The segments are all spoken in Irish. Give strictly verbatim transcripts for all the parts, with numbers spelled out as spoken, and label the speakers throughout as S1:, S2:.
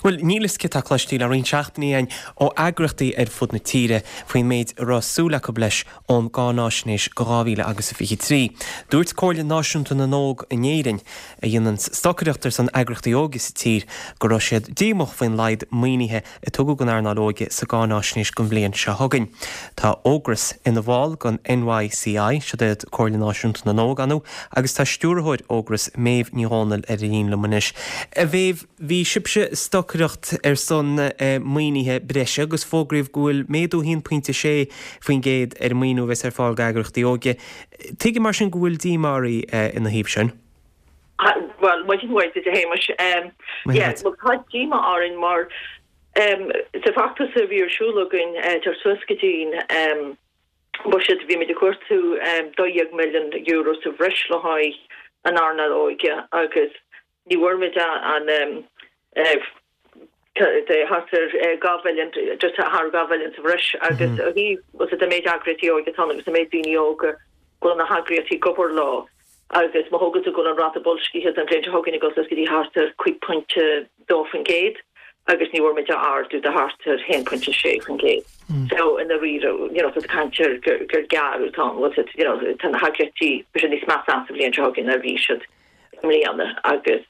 S1: Bhuel, níl a fhios cé tá cloiste le roinnt seachtainí againn ó eagraíochtaí ar fud na tíre faoin méid a raibh súil acu leis ón gcáináisnéis go dhá mhíle agus a fiche trí. Dúirt Comhairle Náisiúnta na nÓg in Éirinn, a dhéanann stocaireacht ar son eagraíochtaí óige sa tír, go raibh siad díomách faoin laghad maoinithe a tugadh don earnáil óige sa gcáináisnéis don bhliain seo chugainn. Tá Ógras ina bhall den N Y C I, siod iad Comhairle Náisiúnta na nÓg, ar ndóigh, agus tá stiúrthóir Ógras, Méabh Ní Dhomhnaill, ar an líne liom anois. A Mhéabh, bhí sibhse ag stocaireacht ar son maoinithe breise agus fógraíodh go bhfuil méadú haon pointe sé faoin gcéad ar an maoiniú a bheas ar fáil d'eagraíochtaí óige. Tuigim mar sin go bhfuil díomá oraibh ina thaobh sin.
S2: Bhuel, maidin mhaith duit, a Shéamais. Yeah, well, tá díomá orainn mar um, sa bhfeachtas a bhí ar siúl againn teacht suas go dtí'n um, buiséad, bhí muid ag cuartú um, dó dhéag milliún euro sa bhreis le haghaidh an earnáil óige agus ní bhfuair muid an um, uh, de thart ar dhá mhilliún, just thar dhá mhilliún sa bhreis, agus ó thaobh an méid eagraíochtaí óige atá agus an méid daoine óga go bhfuil na heagraíochtaí ag obair leo, agus má thógann tú go bhfuil an ráta boilscithe don bhliain seo chugainn ag dul go dtí thart ar cúig pointe dó faoin gcéad agus ní bhfuair muid ardú de thart ar haon pointe sé faoin gcéad. So in a rí you know tá caint gur gur gearradh tá was it you know tá na heagraíochtaí sé níos measa sa bhliain seo chugainn ná bhí siad i mbliana agus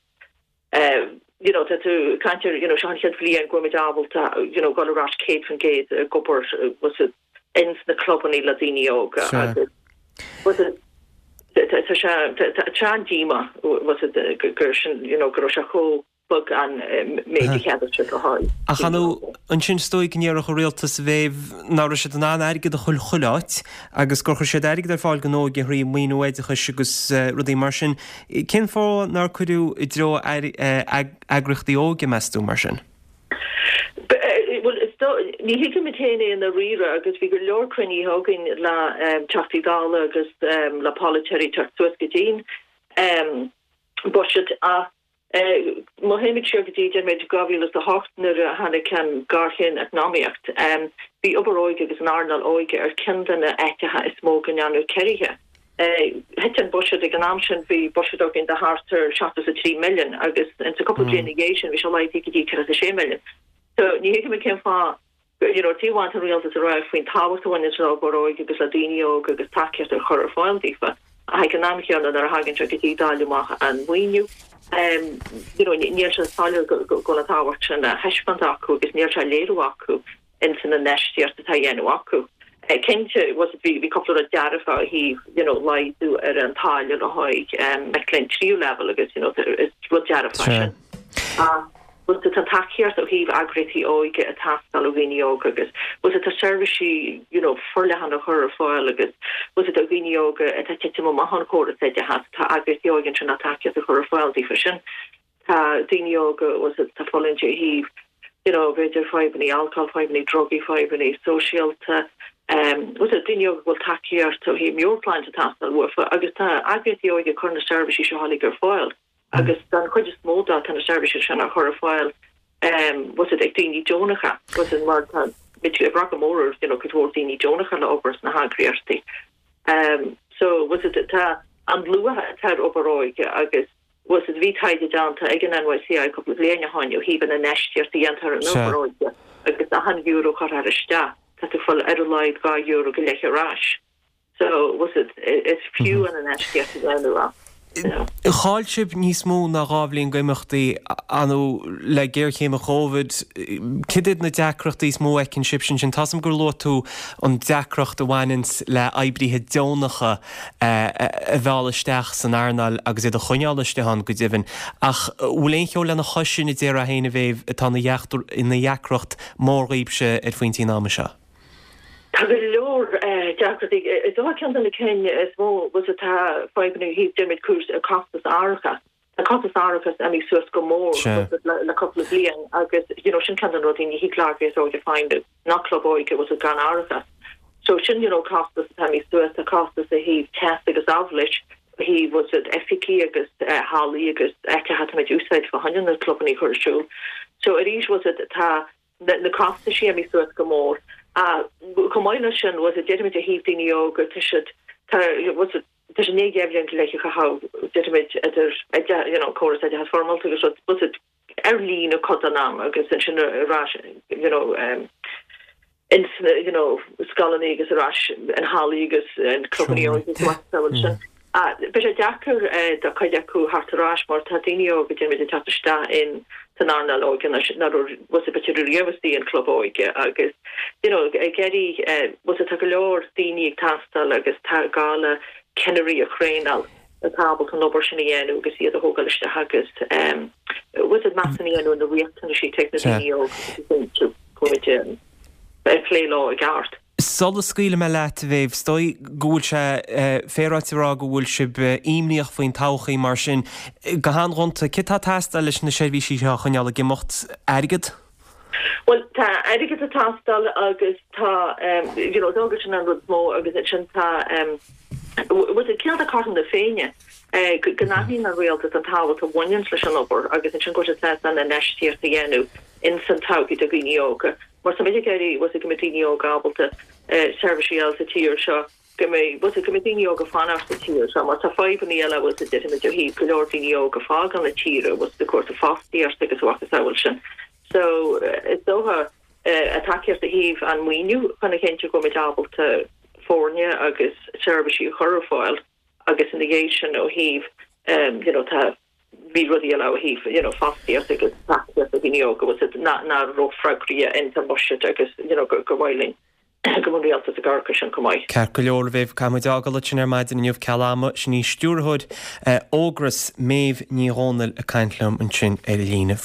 S2: uh, you know tá tú caint you know seo an chéad bhliain go muid ábalta you know go ras céad faoin gcéad ag obair was it ins na clubanna le daoine óga agus was it tá sé an-díomá was it gur sin you know go raibh sé chomh beag an méid a cheadaigh siad le haghaidh.
S1: Ach anu ansin is dóigh go ndéarfadh an rialtas, a Mhéabh, nach raibh siad in ann airgead a chur chuile áit agus gur chuir siad airgead ar fáil don óige thrí maoiniú oideachais agus rudaí mar sin. Cén fáth nár cuireadh i dtreo eagraíochtaí óige, meas tú, mar sin?
S2: Ní thuigimid féin é i ndáiríre agus bhí go leor cruinnithe againn le Teachtaí Dála agus le polaiteoirí teacht suas go dtí'n buiséad, ach má théimid siar go dtí déarfaimid dhá mhíle a hocht nuair a tháinig an ghéarchéim eacnamaíocht, bhí obair óige agus an earnáil óige ar ceann de na háiteacha is mó go ndearnadh ciorruithe. Thit an buiséad ag an am sin, bhí buiséad againn de thart ar seachtó a trí milliún agus in sa cúpla bliain ina dhiaidh sin bhí sé laghdaithe go dtí ceathracha sé milliún. So ní thuigim cén fáth you know taobh amháin an rialtas a rá faoin tábhacht a bhaineann le obair óige agus le daoine óga agus tacaíocht a chur ar fáil daofa, ach ag an am chéanna nuair a thagann sé go dtí dáileadh amach an mhaoiniú, um, you know níl sé soiléir go bhfuil an tábhacht sin á thaispeáint acu agus níl sé léiriú acu in san infheistíocht atá á dhéanamh acu. Cinnte was bhí bhí cúpla rud dearfa ó thaobh you know laghdú ar an táille le haghaidh um, mic léinn tríú level agus you know is rud dearfa sin. Uh, was tá tacaíocht ó thaobh eagraíochtaí óige ag teastáil ó dhaoine óga agus was tá seirbhísí you know forleathan a chur ar fáil agus was do dhaoine óga atá ag titim amach ón chóras oideachais, tá eagraíochtaí óige sin tá tacaíocht a chur ar fáil daofa sin. Tá daoine óga was tá fulaingt ó thaobh you know b'fhéidir fadhbanna alcohol, fadhbanna drugaí, fadhbanna sóisialta, um, was daoine óga bhfuil tacaíocht ó thaobh meabhairshláinte ag teastáil uafa agus tá eagraíochtaí óige chur na seirbhísí seo uilig ar fáil agus den chuid is mó dá tá na seirbhísí sin á chur ar fáil um, was it ag daoine deonacha, was it mar tá muid ag brath go mór you know, cuid mhór daoine deonacha le obair sna heagraíochtaí. Um, so was it tá an luach atá ar obair óige agus was it bhí taighde déanta ag an N Y C I cúpla bliain ó shin ó thaobh an infheistíocht a dhéantar in obair óige agus achan euro a chuirtear isteach tá tú ag fáil ar a laghad dhá euro go leith ar ais. So was it is fiú an infheistíocht a dhéanamh.
S1: Chaill sibh níos mó ná dhá bhliain d'imeachtaí anu le géarchéim Covid. Cad iad na deacrachtaí is mó a fheiceann sibh sin sin Tá gur luaigh tú an deacracht a bhaineann le oibrithe deonacha a mhealladh isteach san earnáil agus iad a choinneáil istigh ann go deimhin. Ach bhfuil aon cheo lena chois sin a déarfá féin, a Mhéabh, atá ina dheacracht mór daoibhse ar phointí an ama seo?
S2: Tá go leor deacrachtaí. Is dócha ceann de na cinn is mó was atá fadhbanna ó thaobh déarfaimid cúis costas árachais. Tá costas árachais imithe suas go mór le cúpla bliain agus you know, sin ceann de na rudaí, ní thig le heagraíocht óige feidhmiú ná club óige was gan árachas. So sin you know, costas atá imithe suas, tá costas ó thaobh teas agus amhlis hí was it oifigí agus uh, hallaí agus áiteacha úsáid fá choinne na clubanna chur ar siúl. So arís was it tá na, na costais imithe suas go mór. Uh, chomh maith leis sin was it déarfaimid ó thaobh daoine óga tá siad tá was it tá sé naoi bhliain le cha déarfaimid idir you know córas oideachas foirmiúil agus was it ar líne cuid den am agus ansin ar ais you know um, in you know scoileanna agus ar ais in hallaí agus in clubanna agus sin. Beidh sé deacair do chuid acu theacht ar ais mar tá daoine óga déarfaimid ag teacht isteach in san earnáil óige nach raibh b'fhéidir riamh istigh in club óige agus you know ag iarraidh bhfuil tá go leor daoine ag teastáil agus tá gá le ceannairí a thraenáil atá ábalta an obair sin a dhéanamh agus iad a thógáil isteach agus bhfuil meas a dhéanamh na riachtanaisí atá ag na daoine óga agus go bhfuil ag plé leo i gceart.
S1: Sula scaoilfidh mé leat a Mhéabh, is dóigh go bhfuil sé féaráilte a rá go bhfuil sibh imníoch faoin todhchaí mar sin. Go han-ghonta, céard atá ag teastáil leis na seirbhísí seo a choinneáil ag imeacht? Airgead?
S2: Bhuel tá airgead ag teastáil agus tá you know dócha sin an rud is mó agus ansin tá bhfuil cineál de cothrom na Féinne go n-aithníonn an rialtas an tábhacht a bhaineann leis an obair agus ansin go bhfuil sé sásta an infheistíocht a dhéanamh in san todhchaí do dhaoine óga. Mar tá muid ag iarraidh bhfuil go mbeidh daoine óga ábalta seirbhísí a fháil sa tír seo, go mbeidh bhfuil go mbeidh daoine óga fanacht sa tír seo, mar tá fadhbanna eile bhfuil déarfaimid ó thaobh go leor daoine óga fágáil na tíre bhfuil de cúrsaí fostaíochta agus a mhacasamhail sin. So is dócha a tacaíocht ó thaobh an maoiniú chun a chinntiú go mbeidh ábalta foirne agus seirbhísí a chur ar fáil agus ina dhiaidh sin ó thaobh you know tá bhí rudaí eile ó thaobh you know fostaíocht agus tacaíocht do dhaoine óga was it ná ná rófhreagraí in san budget agus you know go go mhaith linn go mbeadh an rialtas ag amharc air sin chomh maith.
S1: Ceart go leor a Mhéabh, caithfidh muid fágáil ansin ar maidin inniu ceal ama, sin í stiúrthóir Ógras, Méabh Ní Dhomhnaill ag caint liom ansin ar líne.